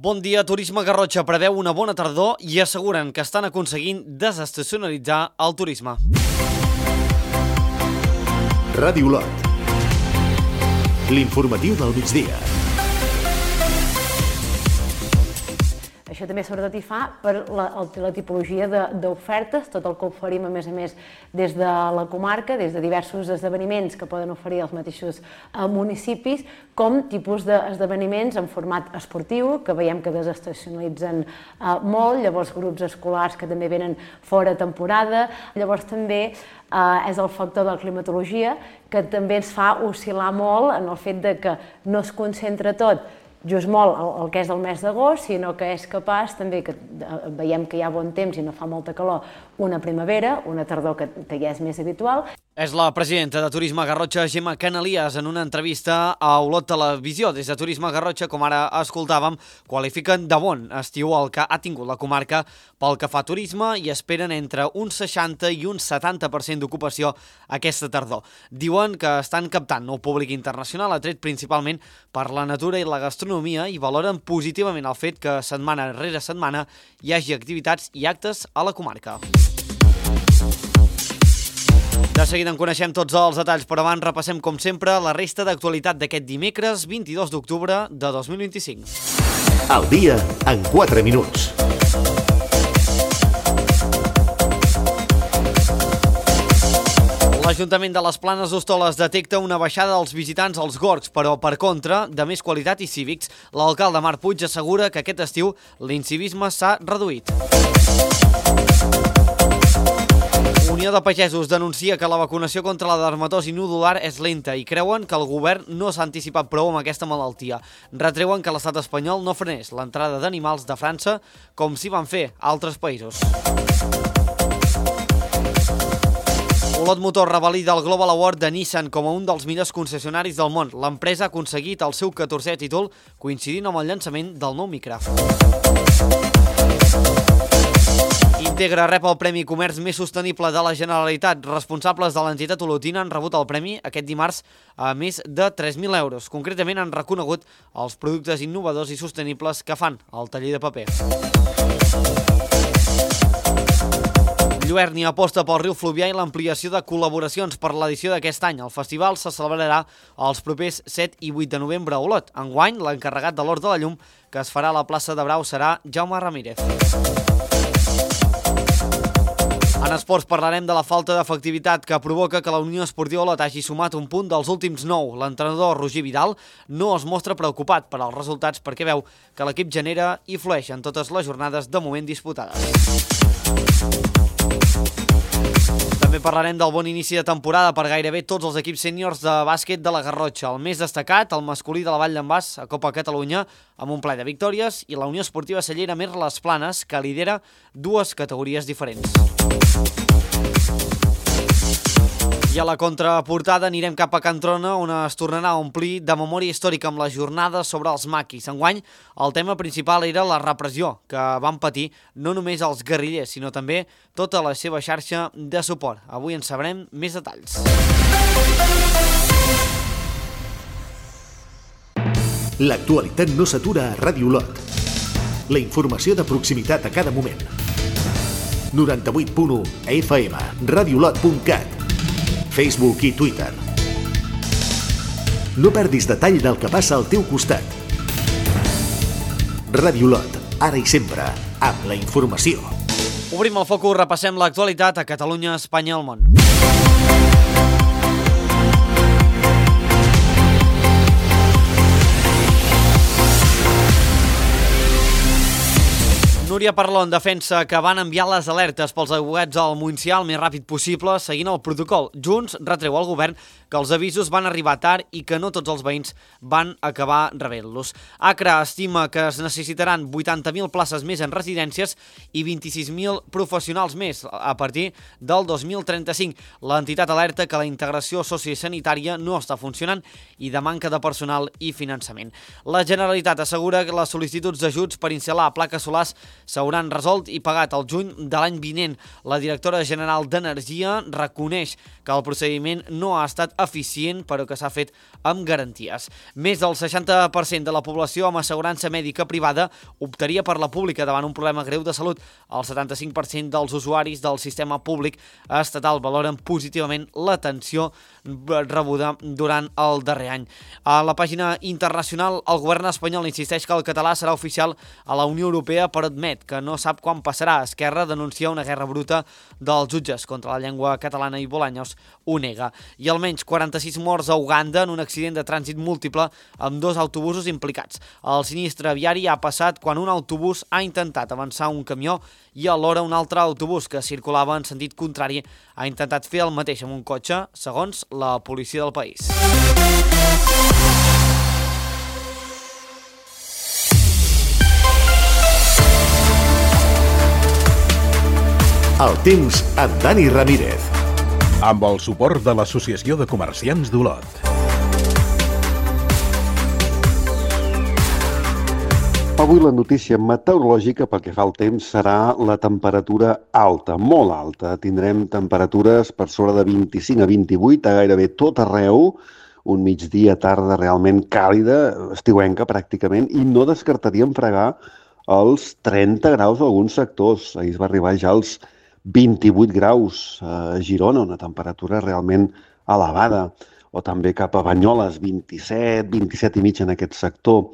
Bon dia, Turisme Garrotxa preveu una bona tardor i asseguren que estan aconseguint desestacionalitzar el turisme. Ràdio Olot. L'informatiu del migdia. Això també sobretot hi fa per la tipologia d'ofertes, tot el que oferim a més des de la comarca, des de diversos esdeveniments que poden oferir els mateixos municipis, com tipus d'esdeveniments en format esportiu, que veiem que desestacionalitzen molt, llavors grups escolars que també venen fora temporada, llavors també és el factor de la climatologia, que també ens fa oscil·lar molt en el fet de que no es concentra tot just molt el que és el mes d'agost, sinó que és capaç també que veiem que hi ha bon temps i no fa molta calor, una primavera, una tardor que ja és més habitual. És la presidenta de Turisme Garrotxa, Gemma Canalias, en una entrevista a Olot Televisió. Des de Turisme Garrotxa, com ara escoltàvem, qualifiquen de bon estiu el que ha tingut la comarca pel que fa a turisme i esperen entre un 60 i un 70% d'ocupació aquesta tardor. Diuen que estan captant nou públic internacional, atret principalment per la natura i la gastronomia, i valoren positivament el fet que setmana rere setmana hi hagi activitats i actes a la comarca. De seguida en coneixem tots els detalls, però abans repassem, com sempre, la resta d'actualitat d'aquest dimecres 22 d'octubre de 2025. El dia en 4 minuts. L'Ajuntament de les Planes d'Hostoles detecta una baixada dels visitants als gorgs, però per contra, de més qualitat i cívics. L'alcalde Marc Puig assegura que aquest estiu l'incivisme s'ha reduït. Unió de Pagesos denuncia que la vacunació contra la dermatosi nodular és lenta i creuen que el govern no s'ha anticipat prou amb aquesta malaltia. Retreuen que l'estat espanyol no frenés l'entrada d'animals de França com s'hi van fer altres països. Olot Motor revalida el Global Award de Nissan com a un dels millors concessionaris del món. L'empresa ha aconseguit el seu 14è títol, coincidint amb el llançament del nou Micra. Integra rep el Premi Comerç Més Sostenible de la Generalitat. Responsables de l'entitat olotina han rebut el premi aquest dimarts a més de 3.000 euros. Concretament han reconegut els productes innovadors i sostenibles que fan al taller de paper. Lluerni aposta pel riu Fluvià i l'ampliació de col·laboracions per l'edició d'aquest any. El festival se celebrarà els propers 7 i 8 de novembre a Olot. Enguany, l'encarregat de l'Hort de la Llum, que es farà a la plaça de Brau, serà Jaume Ramírez. En esports parlarem de la falta d'efectivitat que provoca que la Unió Esportiva Olot hagi sumat un punt dels últims 9. L'entrenador Roger Vidal no es mostra preocupat per als resultats perquè veu que l'equip genera i flueix en totes les jornades de moment disputades. També parlarem del bon inici de temporada per gairebé tots els equips sèniors de bàsquet de la Garrotxa. El més destacat, el masculí de la Vall d'en Bas a Copa Catalunya, amb un ple de victòries, i la Unió Esportiva Cellera Mer Les Planes, que lidera dues categories diferents. I a la contraportada anirem cap a Can Trona, on es tornarà a omplir de memòria històrica amb la jornada sobre els maquis. Enguany, el tema principal era la repressió que van patir no només els guerrillers, sinó també tota la seva xarxa de suport. Avui en sabrem més detalls. L'actualitat no s'atura a Ràdio Olot. La informació de proximitat a cada moment. 98.1 FM, radioolot.cat, Facebook i Twitter. No perdis detall del que passa al teu costat. Ràdio Olot, ara i sempre, amb la informació. Obrim el focus, repassem l'actualitat a Catalunya, Espanya i el món. Núria Parlon defensa que van enviar les alertes pels aiguats al Montsià el més ràpid possible, seguint el protocol. Junts retreu al govern que els avisos van arribar tard i que no tots els veïns van acabar rebent-los. Acra estima que es necessitaran 80.000 places més en residències i 26.000 professionals més a partir del 2035. L'entitat alerta que la integració sociosanitària no està funcionant i de manca de personal i finançament. La Generalitat assegura que les sol·licituds d'ajuts per instal·lar plaques solars s'hauran resolt i pagat al juny de l'any vinent. La directora general d'Energia reconeix que el procediment no ha estat eficient, però que s'ha fet amb garanties. Més del 60% de la població amb assegurança mèdica privada optaria per la pública davant un problema greu de salut. El 75% dels usuaris del sistema públic estatal valoren positivament l'atenció rebuda durant el darrer any. A la pàgina internacional, el govern espanyol insisteix que el català serà oficial a la Unió Europea, però admet que no sap quan passarà. Esquerra denuncia una guerra bruta dels jutges contra la llengua catalana i Bolaños ho nega. I almenys 46 morts a Uganda en un accident de trànsit múltiple amb 2 autobusos implicats. El sinistre viari ha passat quan un autobús ha intentat avançar un camió i alhora un altre autobús que circulava en sentit contrari ha intentat fer el mateix amb un cotxe, segons la policia del país. El temps amb Dani Ramírez. Amb el suport de l'Associació de Comerciants d'Olot. Avui la notícia meteorològica pel que fa al temps serà la temperatura alta, molt alta. Tindrem temperatures per sobre de 25 a 28 a gairebé tot arreu, un migdia tarda realment càlida, estiuenca pràcticament, i no descartaríem fregar els 30 graus a alguns sectors. Ahir es va arribar ja als 28 graus a Girona, una temperatura realment elevada, o també cap a Banyoles, 27, 27 i mig en aquest sector.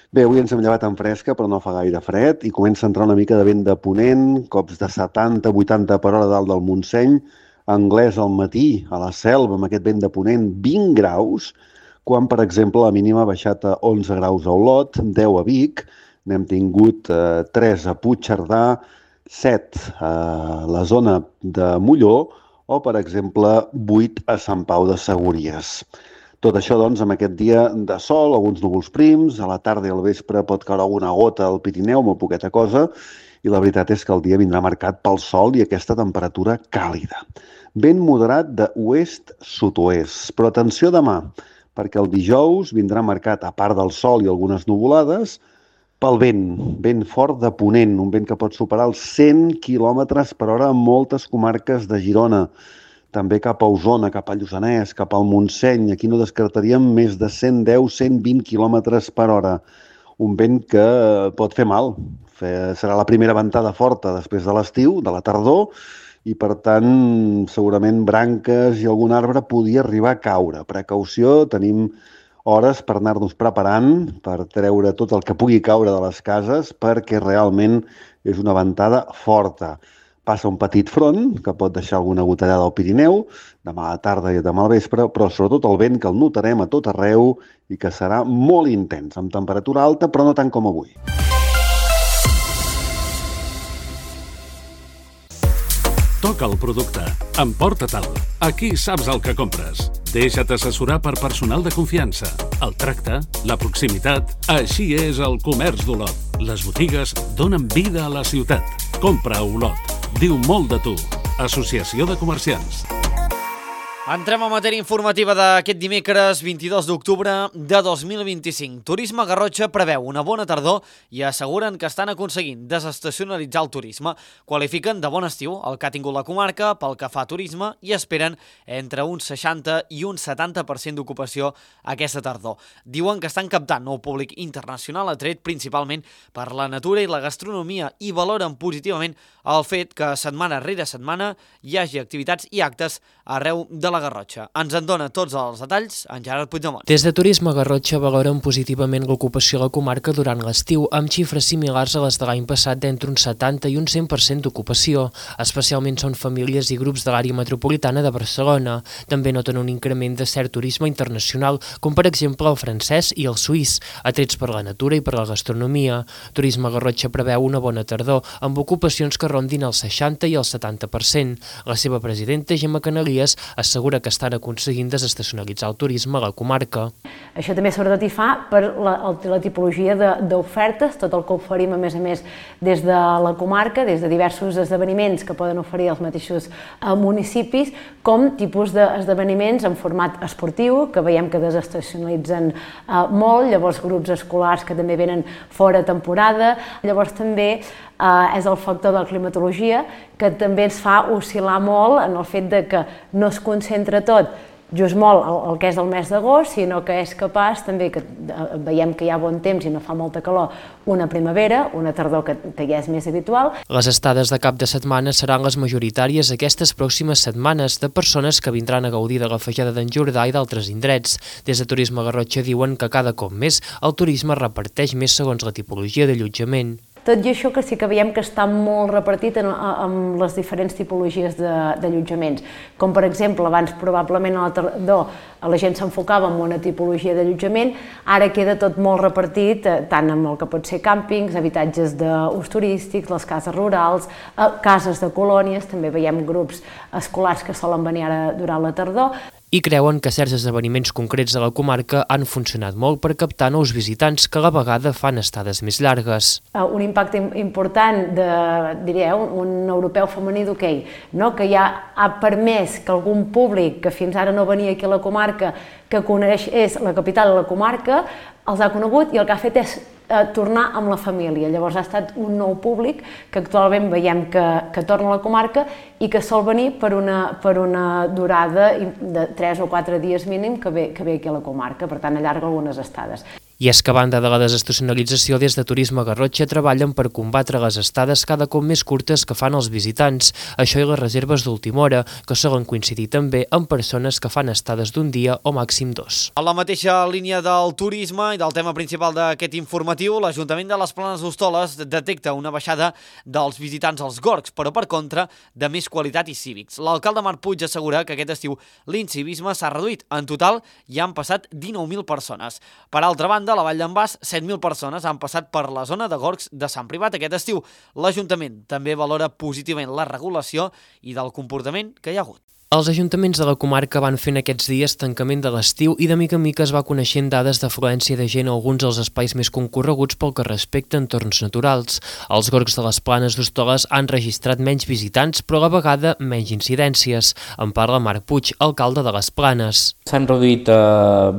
Bé, avui ens hem llevat en fresca, però no fa gaire fred, i comença a entrar una mica de vent de ponent, cops de 70-80 per hora dalt del Montseny, Anglès al matí, a la Selva, amb aquest vent de ponent, 20 graus, quan, per exemple, la mínima ha baixat a 11 graus a Olot, 10 a Vic, n'hem tingut 3 a Puigcerdà, 7 a la zona de Molló, o, per exemple, 8 a Sant Pau de Segúries. Tot això, doncs, amb aquest dia de sol, alguns núvols prims, a la tarda i al vespre pot caure alguna gota al Pirineu, molt poqueta cosa, i la veritat és que el dia vindrà marcat pel sol i aquesta temperatura càlida. Vent moderat d'oest-sud-oest, però atenció demà, perquè el dijous vindrà marcat, a part del sol i algunes nuvolades, pel vent fort de ponent, un vent que pot superar els 100 km per hora en moltes comarques de Girona, també cap a Osona, cap a Lluçanès, cap al Montseny. Aquí no descartaríem més de 110-120 km per hora. Un vent que pot fer mal. Serà la primera ventada forta després de l'estiu, de la tardor, i per tant segurament branques i algun arbre podia arribar a caure. Precaució, tenim hores per anar-nos preparant, per treure tot el que pugui caure de les cases, perquè realment és una ventada forta. Passa un petit front, que pot deixar alguna gotellada al Pirineu, demà a la tarda i demà al vespre, però sobretot el vent que el notarem a tot arreu i que serà molt intens, amb temperatura alta, però no tant com avui. Toca el producte. Emporta-te'l. Aquí saps el que compres. Deixa't assessorar per personal de confiança. El tracte, la proximitat... Així és el comerç d'Olot. Les botigues donen vida a la ciutat. Compra a Olot. Diu molt de tu. Associació de Comerciants. Entrem a matèria informativa d'aquest dimecres 22 d'octubre de 2025. Turisme Garrotxa preveu una bona tardor i asseguren que estan aconseguint desestacionalitzar el turisme. Qualifiquen de bon estiu el que ha tingut la comarca pel que fa a turisme i esperen entre un 60 i un 70% d'ocupació aquesta tardor. Diuen que estan captant nou públic internacional atret principalment per la natura i la gastronomia i valoren positivament el fet que setmana rere setmana hi hagi activitats i actes arreu de la Garrotxa. Ens en dona tots els detalls en Gerard Puigdemont. Des de Turisme Garrotxa valoren positivament l'ocupació a la comarca durant l'estiu, amb xifres similars a les de l'any passat d'entre un 70 i un 100% d'ocupació. Especialment són famílies i grups de l'àrea metropolitana de Barcelona. També noten un increment de cert turisme internacional, com per exemple el francès i el suís, atrets per la natura i per la gastronomia. Turisme Garrotxa preveu una bona tardor, amb ocupacions que rondin el 60 i el 70%. La seva presidenta, Gemma Canalies, assegura que estan aconseguint desestacionalitzar el turisme a la comarca. Això també sobretot hi fa per la tipologia d'ofertes, tot el que oferim a més des de la comarca, des de diversos esdeveniments que poden oferir els mateixos municipis, com tipus d'esdeveniments en format esportiu, que veiem que desestacionalitzen molt, llavors grups escolars que també venen fora temporada, llavors també és el factor de la climatologia, que també ens fa oscil·lar molt en el fet de que no es concentra tot just molt el que és el mes d'agost, sinó que és capaç també, que veiem que hi ha bon temps i no fa molta calor, una primavera, una tardor que ja és més habitual. Les estades de cap de setmana seran les majoritàries aquestes pròximes setmanes de persones que vindran a gaudir de la Feixada d'en Jordà i d'altres indrets. Des de Turisme Garrotxa diuen que cada cop més el turisme reparteix més segons la tipologia d'allotjament. Tot i això que sí que veiem que està molt repartit en les diferents tipologies d'allotjaments. Com per exemple, abans probablement a la tardor la gent s'enfocava en una tipologia d'allotjament, ara queda tot molt repartit, tant amb el que pot ser càmpings, habitatges d'ús turístics, les cases rurals, cases de colònies, també veiem grups escolars que solen venir ara durant la tardor. I creuen que certs esdeveniments concrets de la comarca han funcionat molt per captar nous visitants que a la vegada fan estades més llargues. Un impacte important un europeu femení d'hoquei, que ja ha permès que algun públic que fins ara no venia aquí a la comarca, que coneix la capital de la comarca, els ha conegut i el que ha fet és tornar amb la família. Llavors ha estat un nou públic que actualment veiem que torna a la comarca i que sol venir per una durada de 3 o 4 dies mínim que ve aquí a la comarca, per tant allarga algunes estades. I és que a banda de la desestacionalització, des de Turisme Garrotxa treballen per combatre les estades cada cop més curtes que fan els visitants, això i les reserves d'última hora, que solen coincidir també amb persones que fan estades d'un dia o màxim 2. A la mateixa línia del turisme i del tema principal d'aquest informatiu, l'Ajuntament de les Planes d'Hostoles detecta una baixada dels visitants als gorgs, però per contra de més qualitat i cívics. L'alcalde Marc Puig assegura que aquest estiu l'incivisme s'ha reduït. En total hi han passat 19.000 persones. Per altra banda, a la Vall d'en Bas, 7.000 persones han passat per la zona de gorgs de Sant Privat aquest estiu. L'Ajuntament també valora positivament la regulació i del comportament que hi ha hagut. Els ajuntaments de la comarca van fent aquests dies tancament de l'estiu i de mica en mica es va coneixent dades d'afluència de gent a alguns dels espais més concorreguts pel que respecta a entorns naturals. Els gorgs de les Planes d'Hostoles han registrat menys visitants, però a la vegada menys incidències. En parla Marc Puig, alcalde de les Planes. S'han reduït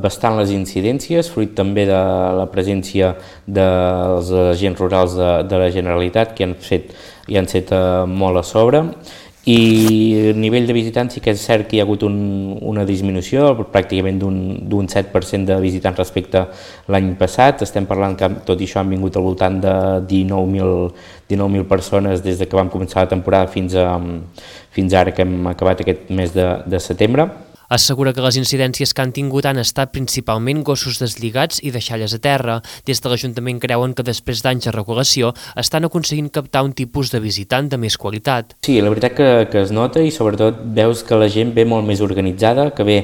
bastant les incidències, fruit també de la presència dels agents rurals de la Generalitat, que han set molt a sobre. I a nivell de visitants sí que és cert que hi ha hagut una disminució, pràcticament d'un 7% de visitants respecte a l'any passat. Estem parlant que tot i això han vingut al voltant de 19.000 persones des que vam començar la temporada fins ara que hem acabat aquest mes de setembre. Assegura que les incidències que han tingut han estat principalment gossos deslligats i deixalles a terra. Des de l'Ajuntament creuen que després d'anys de regulació estan aconseguint captar un tipus de visitant de més qualitat. Sí, la veritat que es nota i sobretot veus que la gent ve molt més organitzada, que ve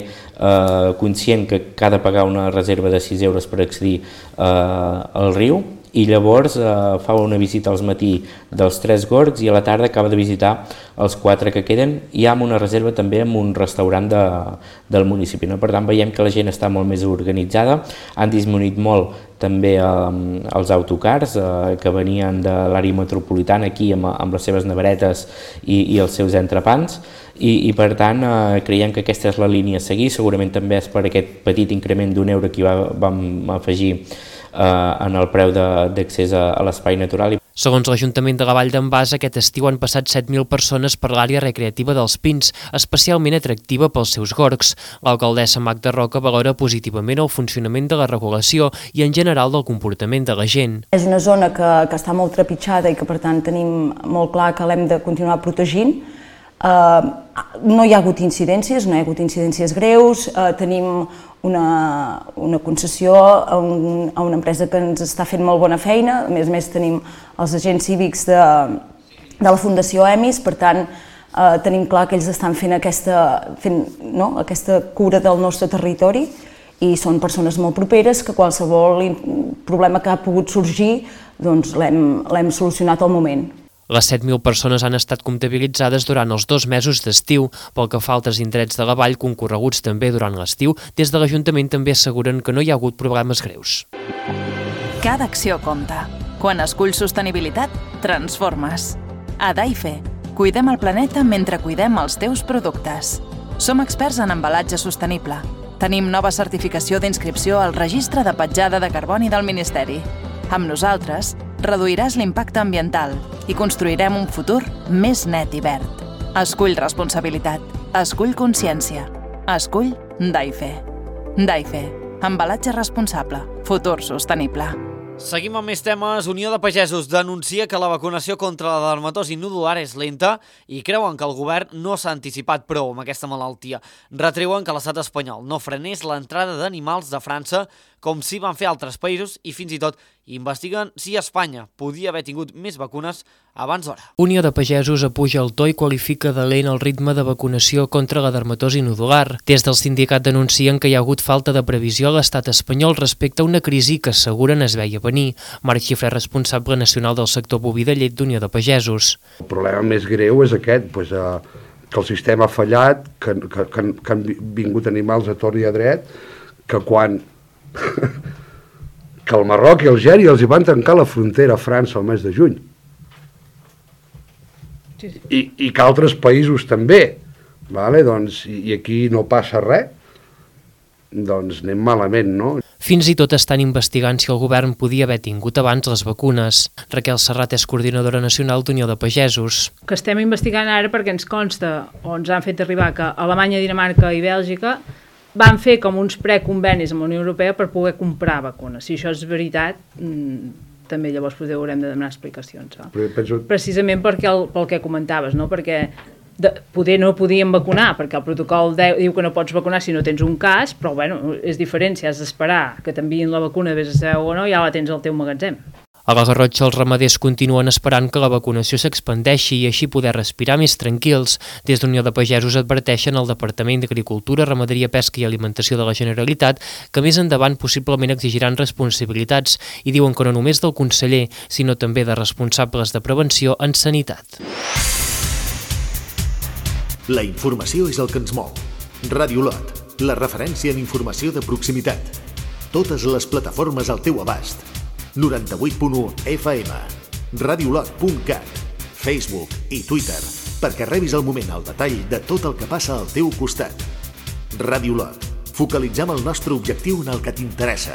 conscient que ha de pagar una reserva de 6 euros per accedir al riu, i llavors fa una visita al matí dels 3 gorgs i a la tarda acaba de visitar els 4 que queden, i amb una reserva també en un restaurant del municipi. Per tant, veiem que la gent està molt més organitzada. Han disminuït molt també els autocars que venien de l'àrea metropolitana aquí amb les seves neveretes i els seus entrepans, i per tant creiem que aquesta és la línia a seguir. Segurament també és per aquest petit increment d'1 euro que vam afegir en el preu d'accés a l'espai natural. Segons l'Ajuntament de la Vall d'en Bas, aquest estiu han passat 7.000 persones per l'àrea recreativa dels Pins, especialment atractiva pels seus gorgs. L'alcaldessa Magda Roca valora positivament el funcionament de la regulació i en general del comportament de la gent. És una zona que està molt trepitjada i que per tant tenim molt clar que l'hem de continuar protegint. No hi ha hagut incidències greus, tenim una concessió a una empresa que ens està fent molt bona feina, a més tenim els agents cívics de la Fundació EMIS, per tant tenim clar que ells estan fent aquesta cura del nostre territori i són persones molt properes que qualsevol problema que ha pogut sorgir doncs l'hem solucionat al moment. Les 7.000 persones han estat comptabilitzades durant els 2 mesos d'estiu. Pel que fa a altres indrets de la vall concorreguts també durant l'estiu, des de l'Ajuntament també asseguren que no hi ha hagut problemes greus. Cada acció compta. Quan esculls sostenibilitat, transformes. A Daife, cuidem el planeta mentre cuidem els teus productes. Som experts en embalatge sostenible. Tenim nova certificació d'inscripció al Registre de Petjada de Carboni del Ministeri. Amb nosaltres, reduiràs l'impacte ambiental i construirem un futur més net i verd. Escull responsabilitat. Escull consciència. Escull Daife. Daife. Embalatge responsable. Futur sostenible. Seguim amb més temes. Unió de Pagesos denuncia que la vacunació contra la dermatosi nodular és lenta i creuen que el govern no s'ha anticipat prou amb aquesta malaltia. Retreuen que l'estat espanyol no frenés l'entrada d'animals de França com si van fer altres països i fins i tot investiguen si Espanya podia haver tingut més vacunes abans d'hora. Unió de Pagesos apuja el to i qualifica de lent el ritme de vacunació contra la dermatosi nodular. Des del sindicat denuncien que hi ha hagut falta de previsió a l'estat espanyol respecte a una crisi que asseguren es veia venir. Marc Xifré, responsable nacional del sector boví de llet d'Unió de Pagesos. El problema més greu és aquest, que el sistema ha fallat, que han vingut animals a tort i a dret, que quan que el Marroc i Algèria els hi van tancar la frontera a França el mes de juny. I que altres països també. I aquí no passa res, doncs anem malament, no? Fins i tot estan investigant si el govern podia haver tingut abans les vacunes. Raquel Serrat és coordinadora nacional d'Unió de Pagesos. Que estem investigant ara perquè ens consta, o ens han fet arribar, que Alemanya, Dinamarca i Bèlgica van fer com uns preconvenis amb la Unió Europea per poder comprar vacunes. Si això és veritat, també llavors haurem de demanar explicacions. Precisament pel que comentaves, no? Perquè poder no podien vacunar, perquè el protocol diu que no pots vacunar si no tens un cas, però bueno, és diferent si has d'esperar que t'enviïn la vacuna, vés a saber o no, ja la tens al teu magatzem. A la Garrotxa els ramaders continuen esperant que la vacunació s'expandeixi i així poder respirar més tranquils. Des d'Unió de Pagesos adverteixen al Departament d'Agricultura, Ramaderia, Pesca i Alimentació de la Generalitat que més endavant possiblement exigiran responsabilitats i diuen que no només del conseller, sinó també de responsables de prevenció en sanitat. La informació és el que ens mou. Ràdio Lot, la referència en informació de proximitat. Totes les plataformes al teu abast. 98.1 FM, radiolot.cat, Facebook i Twitter, perquè rebis al moment el detall de tot el que passa al teu costat. Ràdio Lot, focalitzem el nostre objectiu en el que t'interessa.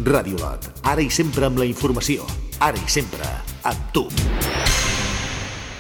Ràdio Lot, ara i sempre amb la informació, ara i sempre amb tu.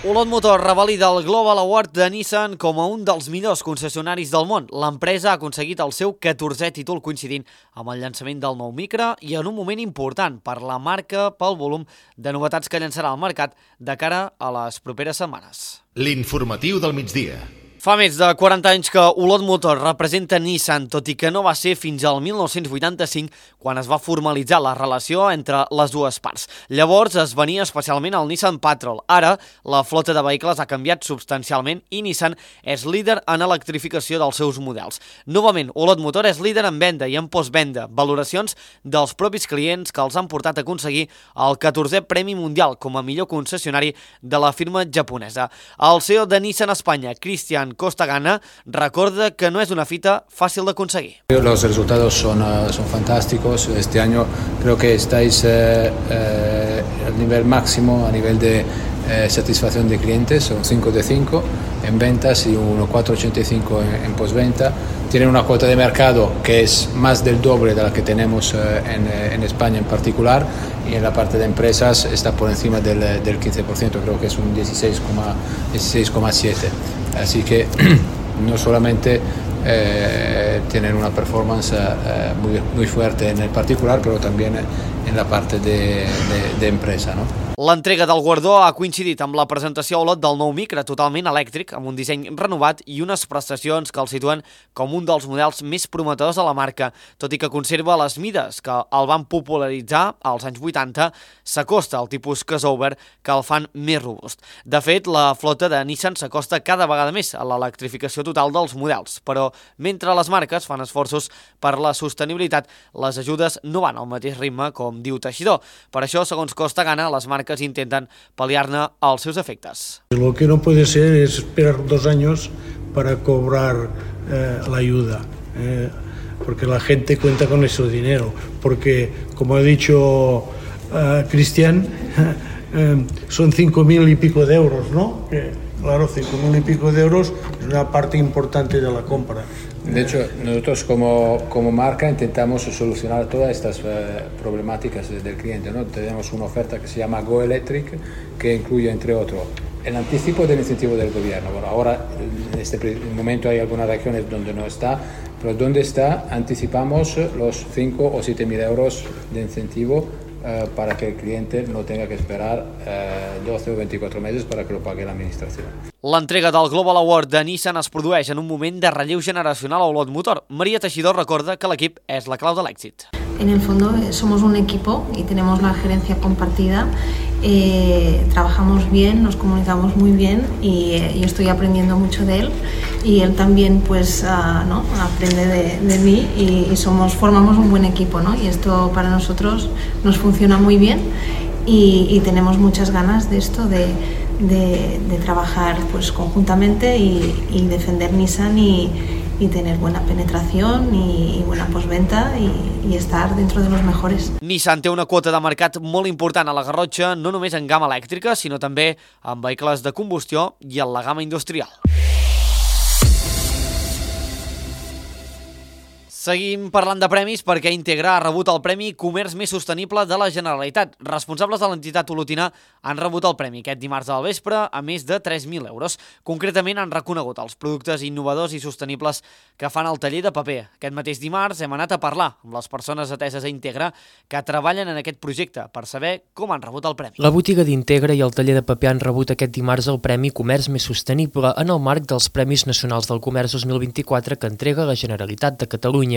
Olot Motor revalida el Global Award de Nissan com a un dels millors concessionaris del món. L'empresa ha aconseguit el seu 14è títol coincidint amb el llançament del nou Micra i en un moment important per la marca pel volum de novetats que llançarà al mercat de cara a les properes setmanes. L'informatiu del migdia. Fa més de 40 anys que Olot Motor representa Nissan, tot i que no va ser fins al 1985 quan es va formalitzar la relació entre les dues parts. Llavors es venia especialment el Nissan Patrol. Ara la flota de vehicles ha canviat substancialment i Nissan és líder en electrificació dels seus models. Novament, Olot Motor és líder en venda i en postvenda, valoracions dels propis clients que els han portat a aconseguir el 14è Premi Mundial com a millor concessionari de la firma japonesa. El CEO de Nissan Espanya, Cristian Costagana, recorda que no és una fita fàcil d'aconseguir. Los resultados son fantásticos. Este año creo que estáis al nivel máximo a nivel de satisfacción de clientes, son 5 de 5 en ventas y un 4,85 en postventa. Tienen una cuota de mercado que es más del doble de la que tenemos en España en particular, y en la parte de empresas está por encima del 15%, creo que es un 16,7%. Así que no solamente tienen una performance muy fuerte en el particular, pero también en la parte de empresa, ¿no? L'entrega del guardó ha coincidit amb la presentació a Olot del nou Micra totalment elèctric, amb un disseny renovat i unes prestacions que el situen com un dels models més prometedors de la marca. Tot i que conserva les mides que el van popularitzar als anys 80, s'acosta al tipus crossover que el fan més robust. De fet, la flota de Nissan s'acosta cada vegada més a l'electrificació total dels models, però mentre les marques fan esforços per la sostenibilitat, les ajudes no van al mateix ritme, com diu Teixidor. Per això, segons Costagana, les marques intentan paliar-ne els seus efectes. Lo que no puede ser es esperar 2 años para cobrar la ayuda, porque la gente cuenta con ese dinero, porque, como ha dicho Cristian, son 5.000 y pico de euros, ¿no? claro, 5.000 y pico de euros es una parte importante de la compra. De hecho, nosotros como marca intentamos solucionar todas estas problemáticas del cliente, ¿no? Tenemos una oferta que se llama Go Electric, que incluye, entre otros, el anticipo del incentivo del gobierno. Bueno, ahora, en este momento hay algunas regiones donde no está, pero donde está, anticipamos los 5 o 7.000 euros de incentivo para que el cliente no tenga que esperar 12 o 24 mesos para que lo pague la administración. L'entrega del Global Award de Nissan es produeix en un moment de relleu generacional a Olot Motor. Maria Teixidor recorda que l'equip és la clau de l'èxit. En el fondo somos un equipo y tenemos la gerencia compartida, trabajamos bien, nos comunicamos muy bien y estoy aprendiendo mucho de él y él también pues ¿no? aprende de mí y formamos un buen equipo, ¿no? Y esto para nosotros nos funciona muy bien y tenemos muchas ganas de esto, de trabajar pues conjuntamente y defender Nissan y tener buena penetración y buena postventa y estar dentro de los mejores. Nissan té una quota de mercat molt important a la Garrotxa, no només en gamma elèctrica, sinó també en vehicles de combustió i en la gamma industrial. Seguim parlant de premis perquè Integra ha rebut el Premi Comerç Més Sostenible de la Generalitat. Responsables de l'entitat olotina han rebut el premi aquest dimarts al vespre a més de 3.000 euros. Concretament han reconegut els productes innovadors i sostenibles que fan el taller de paper. Aquest mateix dimarts hem anat a parlar amb les persones ateses a Integra que treballen en aquest projecte per saber com han rebut el premi. La botiga d'Integra i el taller de paper han rebut aquest dimarts el Premi Comerç Més Sostenible en el marc dels Premis Nacionals del Comerç 2024 que entrega la Generalitat de Catalunya.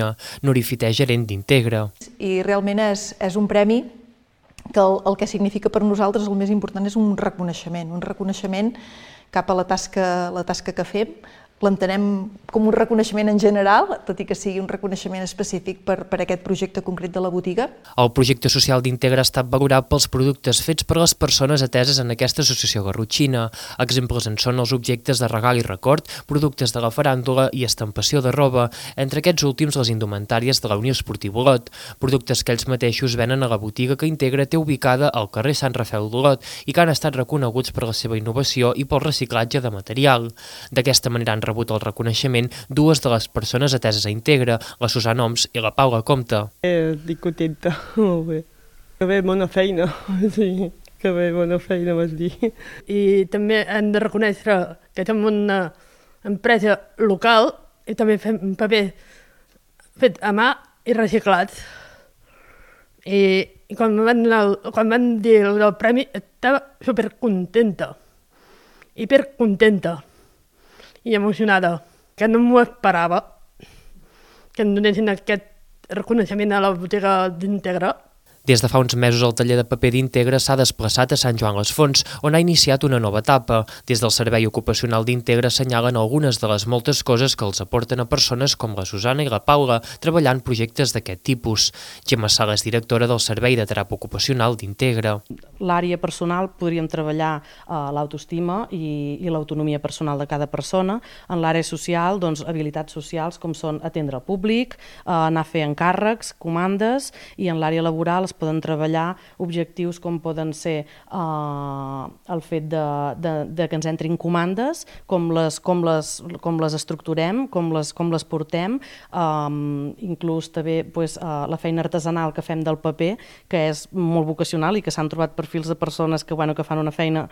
Nuri Fité, gerent d'Integra. I realment és un premi que el que significa per nosaltres el més important és un reconeixement cap a la tasca que fem. L'entenem com un reconeixement en general, tot i que sigui un reconeixement específic per aquest projecte concret de la botiga. El projecte social d'Integra ha estat valorat pels productes fets per les persones ateses en aquesta associació garrotxina. Exemples en són els objectes de regal i record, productes de la faràndula i estampació de roba, entre aquests últims les indumentàries de la Unió Esportiva Olot, productes que ells mateixos venen a la botiga que Integra té ubicada al carrer Sant Rafel d'Olot i que han estat reconeguts per la seva innovació i pel reciclatge de material. D'aquesta manera han rebut el reconeixement dues de les persones ateses a Integra, la Susana Oms i la Paula Comte. Estic contenta, molt bé. Que bé, bona feina, sí, que bé, bona feina, vas dir. I també hem de reconèixer que som una empresa local i també fem paper fet a mà i reciclat. I quan van dir el premi estava supercontenta, hipercontenta i emocionada, que no m'ho esperava, que em donessin aquest reconeixement a la botiga d'Integra. Des de fa uns mesos el taller de paper d'Integra s'ha desplaçat a Sant Joan les Fonts, on ha iniciat una nova etapa. Des del Servei Ocupacional d'Integra assenyalen algunes de les moltes coses que els aporten a persones com la Susana i la Paula, treballant projectes d'aquest tipus. Gemma Sala és directora del Servei de Teràpia Ocupacional d'Integra. L'àrea personal podríem treballar l'autoestima i l'autonomia personal de cada persona. En l'àrea social, doncs, habilitats socials com són atendre el públic, anar a fer encàrrecs, comandes, i en l'àrea laboral es poden treballar objectius com poden ser el fet de que ens entrin comandes, com les estructurem, com les portem, inclús també la feina artesanal que fem del paper, que és molt vocacional i que s'han trobat perfils de persones que fan una feina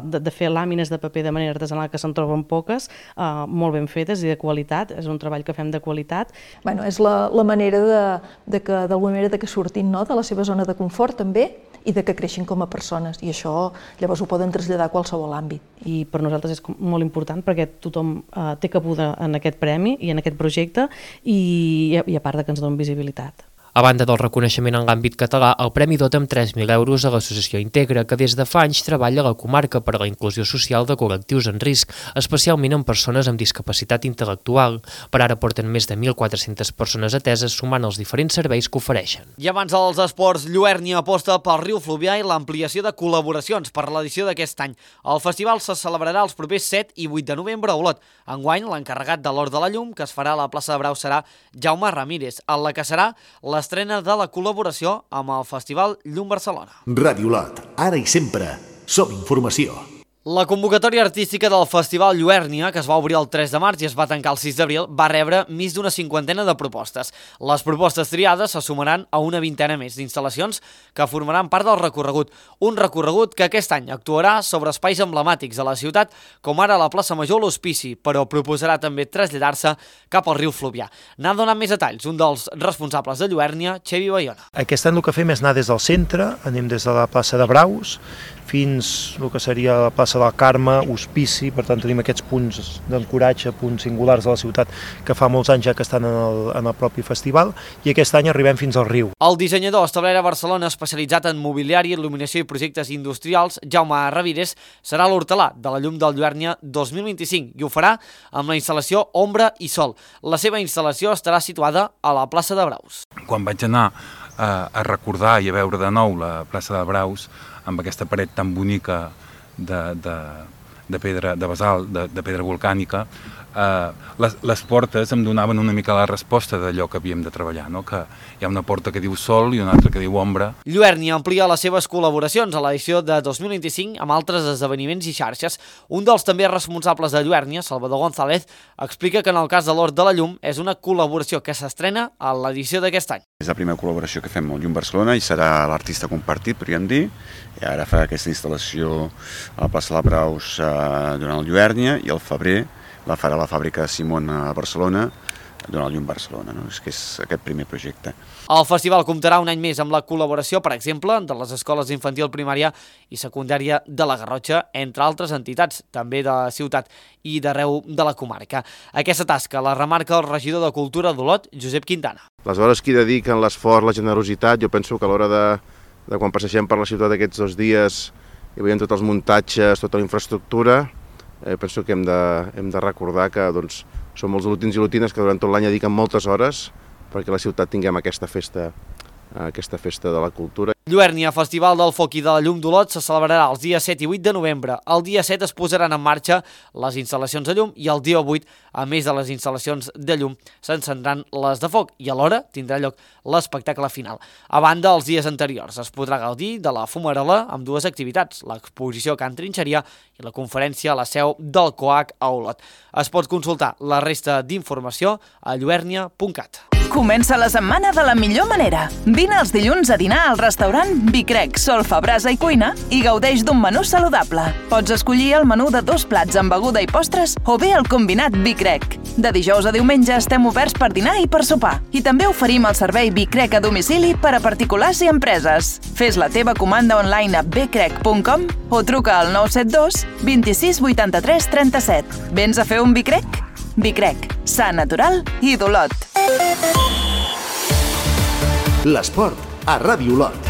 de fer làmines de paper de manera artesanal, que se'n troben poques, molt ben fetes i de qualitat. És un treball que fem de qualitat. És la manera d'alguna manera que surtin de la seva zona de confort també i de que creixin com a persones, i això llavors ho poden traslladar a qualsevol àmbit. I per nosaltres és molt important perquè tothom té cabuda en aquest premi i en aquest projecte i a part que ens dona visibilitat. A banda del reconeixement en l'àmbit català, el premi dota amb 3.000 euros a l'associació Integra, que des de fa anys treballa a la comarca per a la inclusió social de col·lectius en risc, especialment en persones amb discapacitat intel·lectual. Per ara porten més de 1.400 persones ateses, sumant els diferents serveis que ofereixen. I abans dels esports, Lluernia aposta pel riu Fluvià i l'ampliació de col·laboracions per l'edició d'aquest any. El festival se celebrarà els propers 7 i 8 de novembre a Olot. Enguany, l'encarregat de l'Hort de la Llum, que es farà a la plaça de Brau, serà Jaume Ramírez, en la que serà l'estrena de la col·laboració amb el Festival Llum Barcelona. Ràdio Olot, ara i sempre, som informació. La convocatòria artística del Festival Lluèrnia, que es va obrir el 3 de març i es va tancar el 6 d'abril, va rebre més d'una cinquantena de propostes. Les propostes triades se sumaran a una vintena més d'instal·lacions que formaran part del recorregut. Un recorregut que aquest any actuarà sobre espais emblemàtics de la ciutat, com ara la plaça Major o l'Hospici, però proposarà també traslladar-se cap al riu Fluvià. N'ha donat més detalls un dels responsables de Lluèrnia, Xevi Bayona. Aquest any el que fem és anar des del centre, anem des de la plaça de Braus, fins el que seria la plaça del Carme, Hospici, per tant tenim aquests punts d'ancoratge, punts singulars de la ciutat que fa molts anys ja que estan en el propi festival, i aquest any arribem fins al riu. El dissenyador establert a Barcelona especialitzat en mobiliari, il·luminació i projectes industrials, Jaume Ravires, serà l'hortelà de la llum del Lluèrnia 2025 i ho farà amb la instal·lació Ombra i Sol. La seva instal·lació estarà situada a la plaça de Braus. Quan vaig anar a recordar i a veure de nou la plaça de Braus, amb aquesta paret tan bonica de pedra, de basalt, de pedra volcànica, les portes em donaven una mica la resposta d'allò que havíem de treballar, no? Que hi ha una porta que diu Sol i una altra que diu Ombra. Lluèrnia amplia les seves col·laboracions a l'edició de 2025 amb altres esdeveniments i xarxes. Un dels també responsables de Lluèrnia, Salvador González, explica que en el cas de l'Hort de la Llum és una col·laboració que s'estrena a l'edició d'aquest any. És la primera col·laboració que fem amb Llum Barcelona i serà l'artista compartit, podríem dir. I ara fa aquesta instal·lació a la plaça de la Braus durant el Lluèrnia i al febrer la farà la fàbrica Simon a Barcelona durant el Llum Barcelona, no? És que és aquest primer projecte. El festival comptarà un any més amb la col·laboració, per exemple, de les escoles d'infantil, primària i secundària de la Garrotxa, entre altres entitats, també de la ciutat i d'arreu de la comarca. Aquesta tasca la remarca el regidor de Cultura d'Olot, Josep Quintana. Les hores que hi dediquen, l'esforç, la generositat, jo penso que a l'hora de quan passegem per la ciutat aquests 2 dies i veiem tots els muntatges, tota la infraestructura, penso que hem de recordar que som molts lutins i lutines que durant tot l'any dediquen moltes hores perquè a la ciutat tinguem aquesta festa de la cultura. Lluèrnia, Festival del Foc i de la Llum d'Olot, se celebrarà els dies 7 i 8 de novembre. El dia 7 es posaran en marxa les instal·lacions de llum i el dia 8, a més de les instal·lacions de llum, s'encendran les de foc i alhora tindrà lloc l'espectacle final. A banda, els dies anteriors es podrà gaudir de la fumarola amb 2 activitats, l'exposició Can Trinxeria i la conferència a la seu del COAC a Olot. Es pot consultar la resta d'informació a lluèrnia.cat. Comença la setmana de la millor manera. Vine els dilluns a dinar al restaurant Vicrec, Solfa, Brasa i Cuina i gaudeix d'un menú saludable. Pots escollir el menú de 2 plats amb beguda i postres o bé el combinat Vicrec. De dijous a diumenge estem oberts per dinar i per sopar. I també oferim el servei Vicrec a domicili per a particulars i empreses. Fes la teva comanda online a vicrec.com o truca al 972 26 83 37. Vens a fer un Vicrec? Vicrec, sa natural i d'Olot. L'esport a Ràdio Olot.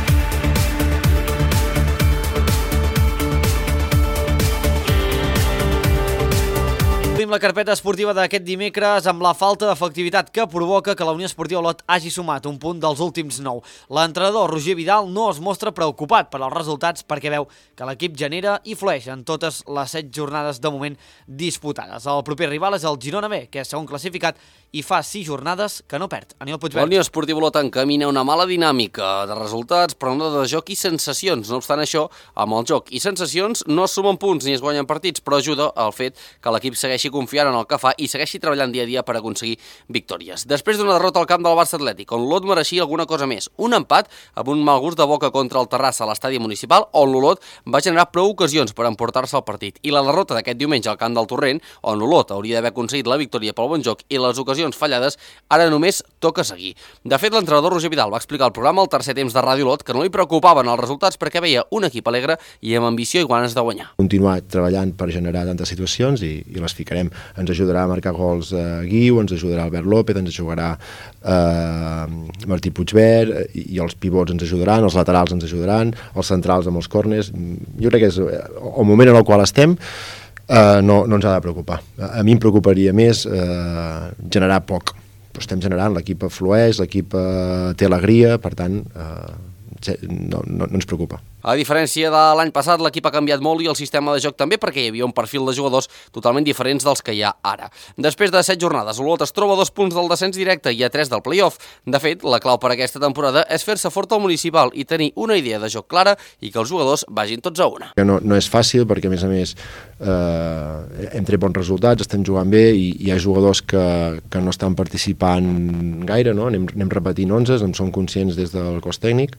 Obrim la carpeta esportiva d'aquest dimecres amb la falta d'efectivitat que provoca que la Unió Esportiva Olot hagi sumat un punt dels últims 9. L'entrenador Roger Vidal no es mostra preocupat per als resultats perquè veu que l'equip genera i flueix en totes les 7 jornades de moment disputades. El proper rival és el Girona B, que és segon classificat i fa 6 jornades que no perd. Aniol Puigverd. La Unió Esportiva Olot encamina una mala dinàmica de resultats, però no de joc i sensacions. No obstant això, amb el joc i sensacions no es sumen punts ni es guanyen partits, però ajuda al fet que l'equip segueixi confiant en el que fa i segueixi treballant dia a dia per aconseguir victòries. Després d'una derrota al camp del Barça Atlètic, on l'Olot mereixia alguna cosa més, un empat amb un mal gust de boca contra el Terrassa a l'estadi municipal, on l'Olot va generar prou ocasions per emportar-se el partit, i la derrota d'aquest diumenge al camp del Torrent, on l'Olot hauria d'haver aconseguit la victòria pel bon joc i les ocasions fallades, ara només toca seguir. De fet, l'entrenador Roger Vidal va explicar al programa al tercer temps de Ràdio Olot que no li preocupaven els resultats perquè veia un equip alegre i amb ambició i ganes de guanyar. Continuar treballant per generar tantes situacions i les ficarem. Ens ajudarà a marcar gols Guiu, ens ajudarà Albert López, ens ajudarà Martí Puigverd i els pivots ens ajudaran, els laterals ens ajudaran, els centrals amb els córners. Jo crec que és el moment en el qual estem no ens ha de preocupar. A mi em preocuparia més generar poc, però estem generant, l'equip flueix, l'equip té alegria, per tant no ens preocupa. A diferència de l'any passat, l'equip ha canviat molt i el sistema de joc també, perquè hi havia un perfil de jugadors totalment diferents dels que hi ha ara. Després de 7 jornades, Olot es troba a 2 punts del descens directe i a 3 del play-off. De fet, la clau per aquesta temporada és fer-se fort al municipal i tenir una idea de joc clara i que els jugadors vagin tots a una. No és fàcil perquè, a més, hem tret bons resultats, estem jugant bé i hi ha jugadors que no estan participant gaire, no? Anem repetint 11, en som conscients des del cos tècnic,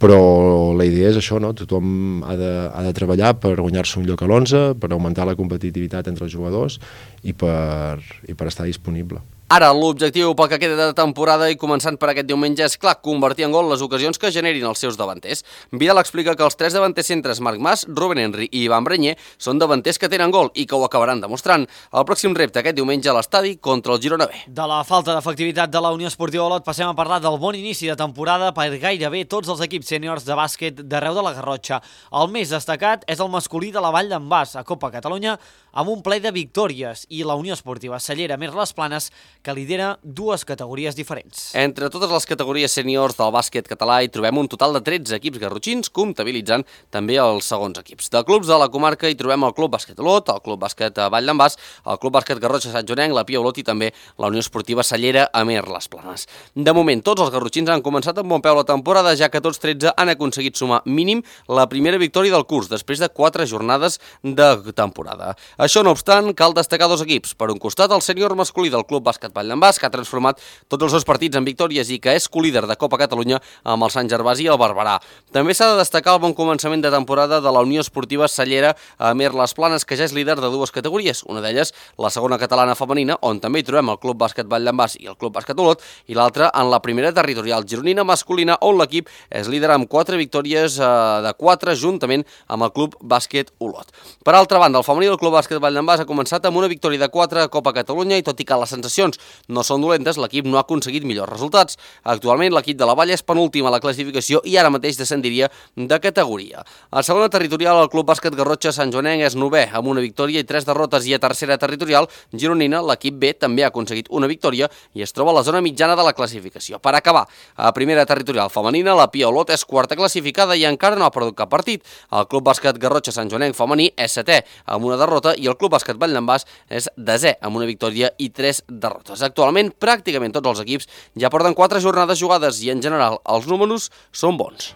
però la idea és això, no? Tothom ha de treballar per guanyar-se un lloc a l'11, per augmentar la competitivitat entre els jugadors i per estar disponible. Ara, l'objectiu pel que queda de temporada i començant per aquest diumenge és clar, convertir en gol les ocasions que generin els seus davanters. Vidal explica que els 3 davanters centres, Marc Mas, Rubén Henry i Ivan Breñé, són davanters que tenen gol i que ho acabaran demostrant. El pròxim repte aquest diumenge a l'estadi contra el Girona B. De la falta d'efectivitat de la Unió Esportiva Olot passem a parlar del bon inici de temporada per gairebé tots els equips sèniors de bàsquet d'arreu de la Garrotxa. El més destacat és el masculí de la Vall d'en Bas, a Copa Catalunya, amb un ple de victòries, i la Unió Esportiva Cellera Mir Les Planes, que lidera 2 categories diferents. Entre totes les categories sèniors del bàsquet català hi trobem un total de 13 equips garrotxins, comptabilitzant també els segons equips. De clubs de la comarca hi trobem el Club Bàsquet Olot, el Club Bàsquet Vall d'en Bas, el Club Bàsquet Garrotxa Sant Joanenc, la Pia Olot i també la Unió Esportiva Cellera Amer Les Planes. De moment, tots els garrotxins han començat amb bon peu la temporada, ja que tots 13 han aconseguit sumar mínim la primera victòria del curs, després de 4 jornades de temporada. Això no obstant, cal destacar 2 equips. Per un costat, el sènior masculí del Club Bàsquet Vall d'en Bas, que ha transformat tots els seus partits en victòries i que és colíder de Copa Catalunya amb el Sant Gervasi i el Barberà. També s'ha de destacar el bon començament de temporada de la Unió Esportiva Cellera Amer Les Planes, que ja és líder de 2 categories, una d'elles la segona catalana femenina, on també hi trobem el Club Bàsquet Vall d'en Bas i el Club Bàsquet Olot, i l'altra en la primera territorial gironina masculina, on l'equip és líder amb 4 victòries de 4 juntament amb el Club Bàsquet Olot. Per altra banda, el femení del Club Bàsquet Vall d'en Bas ha començat amb una victòria de 4 a Copa Catalunya i tot i que les sensacions no són dolentes, l'equip no ha aconseguit millors resultats. Actualment l'equip de la Vall és penúltim a la classificació i ara mateix descendiria de categoria. A segona territorial, el Club Bàsquet Garrotxa Sant Joanenc és 9è amb una victòria i 3 derrotes, i a tercera territorial gironina l'equip B també ha aconseguit una victòria i es troba a la zona mitjana de la classificació. Per acabar, a primera territorial femenina, la Pia Olot és 4a classificada i encara no ha perdut cap partit. El Club Bàsquet Garrotxa Sant Joanenc femení és 7è amb una derrota i el Club Bàsquet Vall d'en Bas és 10è amb una victòria i 3 derrotes. Actualment, pràcticament tots els equips ja porten 4 jornades jugades i en general els números són bons.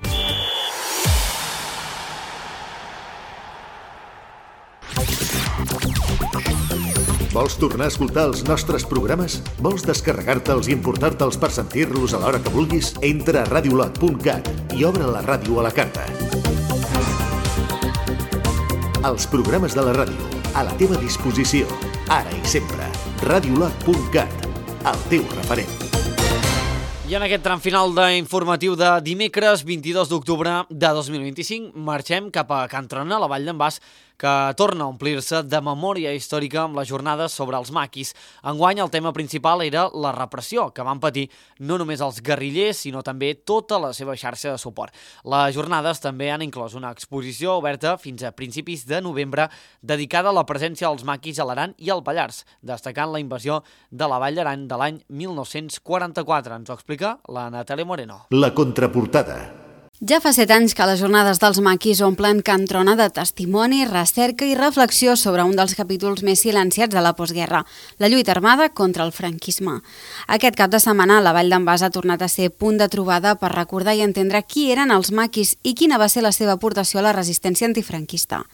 Vols tornar a escoltar els nostres programes? Vols descarregar-te'ls i importar-te'ls per sentir-los a l'hora que vulguis? Entra a radiolot.cat i obre la ràdio a la carta. Els programes de la ràdio, a la teva disposició, ara i sempre. Radiolot.cat, el teu referent. I en aquest tram final d'informatiu de dimecres 22 d'octubre de 2025 marxem cap a Can Trona, a la Vall d'en Bas, que torna a omplir-se de memòria històrica amb les jornades sobre els maquis. Enguany el tema principal era la repressió que van patir no només els guerrillers, sinó també tota la seva xarxa de suport. Les jornades també han inclòs una exposició oberta fins a principis de novembre dedicada a la presència dels maquis a l'Aran i al Pallars, destacant la invasió de la Vall d'Aran de l'any 1944. Ens ho explica la Natàlia Moreno. La contraportada. Ja fa 7 anys que les jornades dels maquis omplen Can Trona de testimoni, recerca i reflexió sobre un dels capítols més silenciats de la postguerra, la lluita armada contra el franquisme. Aquest cap de setmana la Vall d'en Bas ha tornat a ser punt de trobada per recordar i entendre qui eren els maquis i quina va ser la seva aportació a la resistència antifranquista.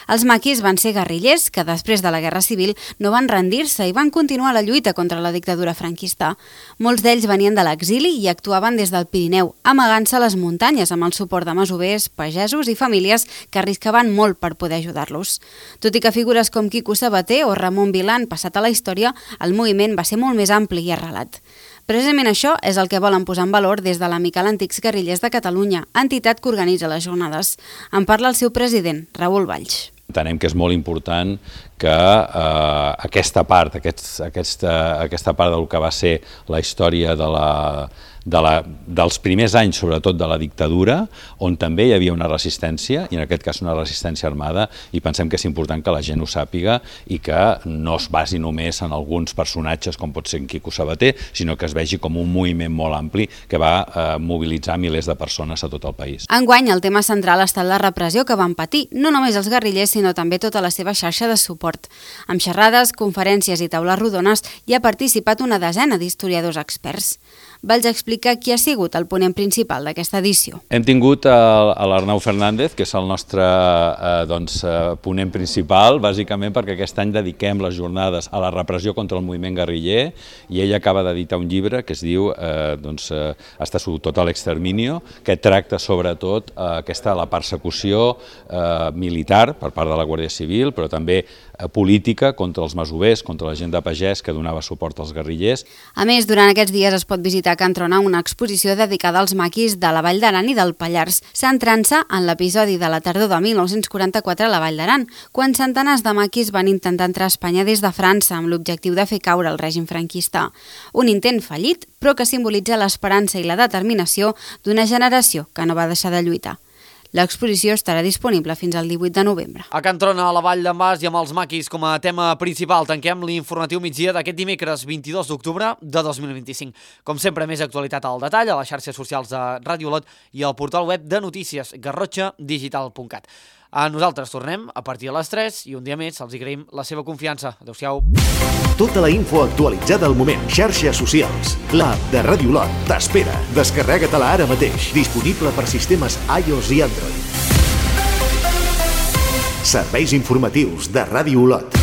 Els maquis van ser guerrillers que després de la Guerra Civil no van rendir-se i van continuar la lluita contra la dictadura franquista. Molts d'ells venien de l'exili i actuaven des del Pirineu, amagant-se a les muntanyes amb el suport de masovers, pagesos i famílies que arriscaven molt per poder ajudar-los. Tot i que figures com Quico Sabater o Ramon Vilà han passat a la història, el moviment va ser molt més ampli i arrelat. Precisament això és el que volen posar en valor des de l'Amical Antics Guerrillers de Catalunya, entitat que organitza les jornades. En parla el seu president, Raül Valls. Entenem que és molt important que aquesta part del que va ser la història de dels primers anys, sobretot de la dictadura, on també hi havia una resistència, i en aquest cas una resistència armada, i pensem que és important que la gent ho sàpiga i que no es basi només en alguns personatges com pot ser en Quico Sabater, sinó que es vegi com un moviment molt ampli que va mobilitzar milers de persones a tot el país. Enguany, el tema central ha estat la repressió que van patir, no només els guerrillers, sinó també tota la seva xarxa de suport. Amb xerrades, conferències i taules rodones hi ha participat una desena d'historiadors experts. Valls explica qui ha sigut el ponent principal d'aquesta edició. Hem tingut l'Arnau Fernández, que és el nostre ponent principal, bàsicament perquè aquest any dediquem les jornades a la repressió contra el moviment guerriller, i ell acaba d'editar un llibre que es diu Hasta su total exterminio, que tracta sobretot la persecució militar per part de la Guàrdia Civil, però també política contra els masovers, contra la gent de pagès que donava suport als guerrillers. A més, durant aquests dies es pot visitar a Can Trona una exposició dedicada als maquis de la Vall d'Aran i del Pallars, centrant-se en l'episodi de la tardor de 1944 a la Vall d'Aran, quan centenars de maquis van intentar entrar a Espanya des de França amb l'objectiu de fer caure el règim franquista. Un intent fallit, però que simbolitza l'esperança i la determinació d'una generació que no va deixar de lluitar. L'exposició estarà disponible fins al 18 de novembre. A Can Trona, a la Vall d'en Bas i amb els maquis com a tema principal, tanquem l'informatiu migdia d'aquest dimecres 22 d'octubre de 2025. Com sempre, més actualitat al detall a les xarxes socials de Ràdio Olot i al portal web de notícies garrotxadigital.cat. Nosaltres tornem a partir de les 3 i un dia més els agraïm la seva confiança. Adéu-siau. Tota la info actualitzada al moment. Xarxes socials. L'app de Ràdio Olot t'espera. Descarrega-te-la ara mateix. Disponible per sistemes iOS i Android. Serveis informatius de Ràdio Olot.